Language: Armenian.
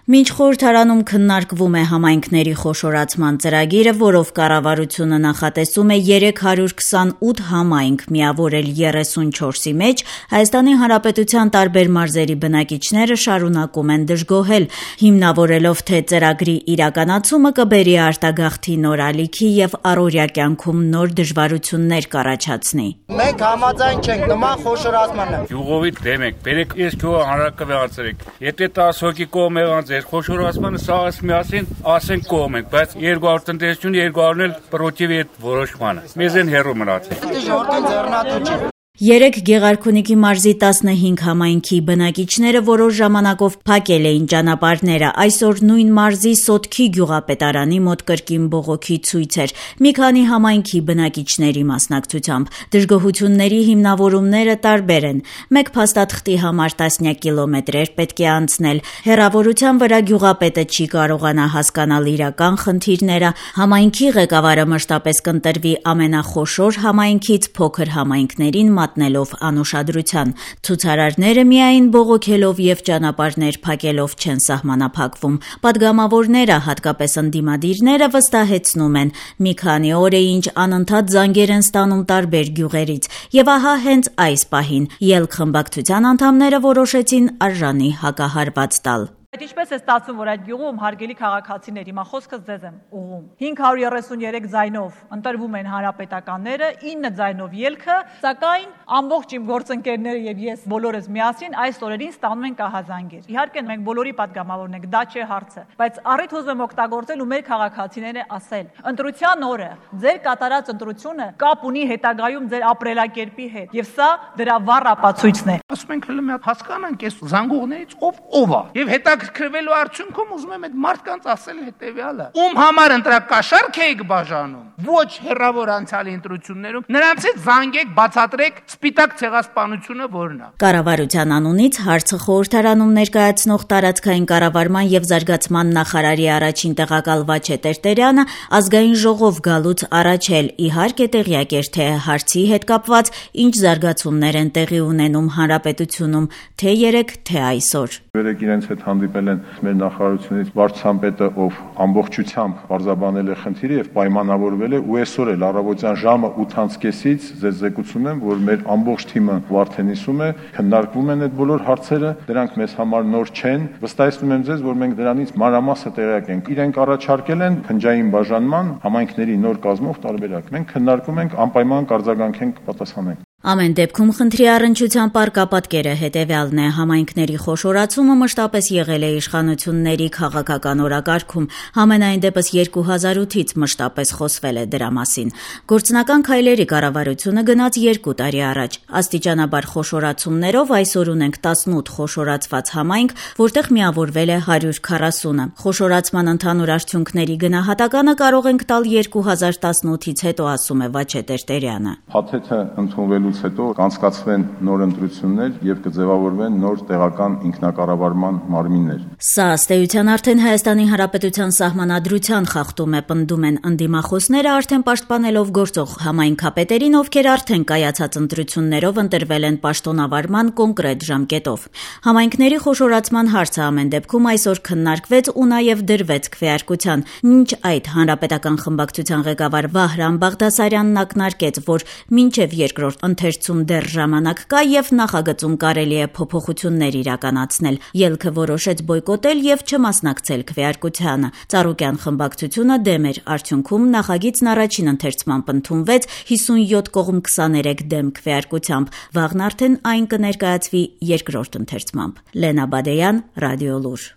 Մինչ խորհրդարանում քննարկվում է համայնքների խոշորացման ծրագիրը, որով կառավարությունը նախատեսում է 328 համայնք միավորել 34-ի մեջ, Հայաստանի Հանրապետության տարբեր մարզերի բնակիչները շարունակում են դժգոհել, հիմնավորելով թե ծրագրի իրականացումը կբերի արտագաղթի նոր ալիքի եւ առօրյա կյանքում նոր դժվարություններ կառաջացնի։ Մենք համաձայն չենք նման խոշորացմանը։ Յուղովի դեմ ենք, բերեք ես գյուղը հանրակրվե անցրեք։ Եթե 10 հոգի կողմ եղած է խոշորացմանը սաղս միասին ասենք կողմ ենք, բայց 200 տնտեսություն 200-ն էլ պրոտիվ է որոշմանը։ Մեզ են հեռու մնացել։ Ժողովրդին ձեռնատու չի։ Երեկ Գեղարքունիքի մարզի 15 համայնքի բնակիչները որոշ ժամանակով փակել էին ճանապարհները, այսօր նույն մարզի Սոտքի գյուղապետարանի մոտ կրկին բողոքի ցույց էր, մի քանի համայնքի բնակիչների մասնակցությամբ։ Դժգոհությունների հիմնավորումները տարբեր են, մեկ փաստաթղթի համար տասնյակ կիլոմետրեր պետք է անցնել, հեռավորության վրա գյուղապետը չի կարողանա հասկանալ իրական խնդիրները, համայնքի ղեկավարը մշտապես կընտրվի ամենախոշոր համայնքից փոքր համայնքներին մատնելով անուշադրության։ Ցուցարարները միայն բողոքելով եւ ճանապարհներ փակելով չեն սահմանափակվում։ Պատգամավորները, հատկապես ընդդիմադիրները վստահեցնում են, մի քանի օր է ինչ անընդհատ զանգեր են ստանում տարբեր գյուղերից, եւ ահա հենց այս պահին ելք խմբակցության անդամները որոշեցին արժանի հակահարված տալ։ Այդ ինչպես է ստացվում, որ այդ գյուղում հարգելի քաղաքացիներ, հիմա խոսքս ձեզ եմ ուղղում, 533 ձայնով ընտրվում են հանրապետականները, 9 ձայնով ելքը, սակայն ամբողջ իմ գործընկերները եւ ես բոլորս միասին այս օրերին ստանում ենք ահազանգեր։ Իհարկե մենք բոլորի պատգամավորն ենք, դա չէ հարցը, բայց առիթ ուզում եմ օգտագործել ու մեր քաղաքացիները ասել. ընտրության օրը ձեր կատարած ընտրությունը կապ ունի հետագայում ձեր ապրելակերպի հետ, եւ սա դրա վառ ապացույցն է։ Ասում ենք հələ մի հատ հասկանանք այս զանգողներից ով է եւ հետաքրքրվելու արդյունքում ուզում եմ այդ մարդկանց ասել հետեւյալը. ում համար ընտրակաշառք եք բաժանում, ոչ հեռավոր անցյալի ընտրություններում, նրանցից զանգեք, բացատրեք սպիտակ ցեղասպանությունը որն է։ Կառավարության անունից հարցը խորհրդարանում ներկայացնող տարածքային կառավարման եւ զարգացման նախարարի առաջին տեղակալ Վաչե Տերտերյանը ազգային ժողով գալուց առաջ էլ իհարկե տեղյակ էր, թե հարցի հետ կապված ինչ զարգացումներ են տեղի ունենում հանրապետությունում, թե երեք, թե այսօր։ Երեք իրենց հետ հանդիպել են մեր նախարարությունից վարչապետը, ով ամբողջությամբ բարձաբանել է խնդիրը եւ պայմանավորվել է, ու այսօր էլ առավոտյան ժամը 8:30-ից ձեզ զեկուցում եմ, որ մեր ամբողջ թիմը Վարդենիսում է, քննարկվում են այդ բոլոր հարցերը, դրանք մեզ համար նոր չեն, վստահեցնում եմ ձեզ, որ մենք դրանից մանրամասը տեղյակ ենք։ Իրենք առաջարկել են փնջային բաժանման համայնքների նոր կազմով տարբերակ։ Մենք քննարկում ենք, անպայման կարձագանքենք, կպատասխանենք։ Ամեն դեպքում խնդրի առնչությամբ արկապատկերը հետևյալն է. համայնքների խոշորացումը մշտապես եղել է իշխանությունների քաղաքական օրակարգում, համենայն դեպս 2008-ից մշտապես խոսվել է դրա մասին։ Գործնական քայլերի կառավարությունը գնաց 2 տարի առաջ։ Աստիճանաբար խոշորացումներով այսօր ունենք 18 խոշորացված համայնք, որտեղ միավորվել է 140-ը։ Խոշորացման ընդհանուր արդյունքների գնահատականը կարող ենք տալ 2018-ից հետո, ասում է Վաչե Տերտերյանը։ Փաթեթը ընդունվելու հետո կանցկացվեն նոր ընտրություններ եւ կձևավորվեն նոր տեղական ինքնակառավարման մարմիններ։ Սա ըստ էության արդեն Հայաստանի Հանրապետության սահմանադրության խախտում է, պնդում են ընդդիմախոսները, արդեն պաշտպանելով գործող համայնքապետերին, ովքեր արդեն կայացած ընտրություններով ընտրվել են պաշտոնավարման կոնկրետ ժամկետով։ Համայնքների խոշորացման հարցը ամեն դեպքում այսօր քննարկվեց ու նաեւ դրվեց քվեարկության։ Մինչ այդ հանրապետական խմբակցության ղեկավար Վահրամ Բաղդասարյանն ակնարկեց, որ մինչեւ երկրորդ ընթերցում դեռ ժամանակ կա եւ նախագծում կարելի է փոփոխություններ իրականացնել։ Ելքը որոշեց բոյկոտել եւ չմասնակցել քվեարկությանը։ Ծառուկյան խմբակցությունը դեմ էր, արդյունքում նախագիծն առաջին ընթերցմամբ ընդունվեց 57 կողմ 23 դեմ քվեարկությամբ։ Վաղն արդեն այն կներկայացվի երկրորդ ընթերցմամբ։ Լենա Բադեյան, Ռադիոլուր։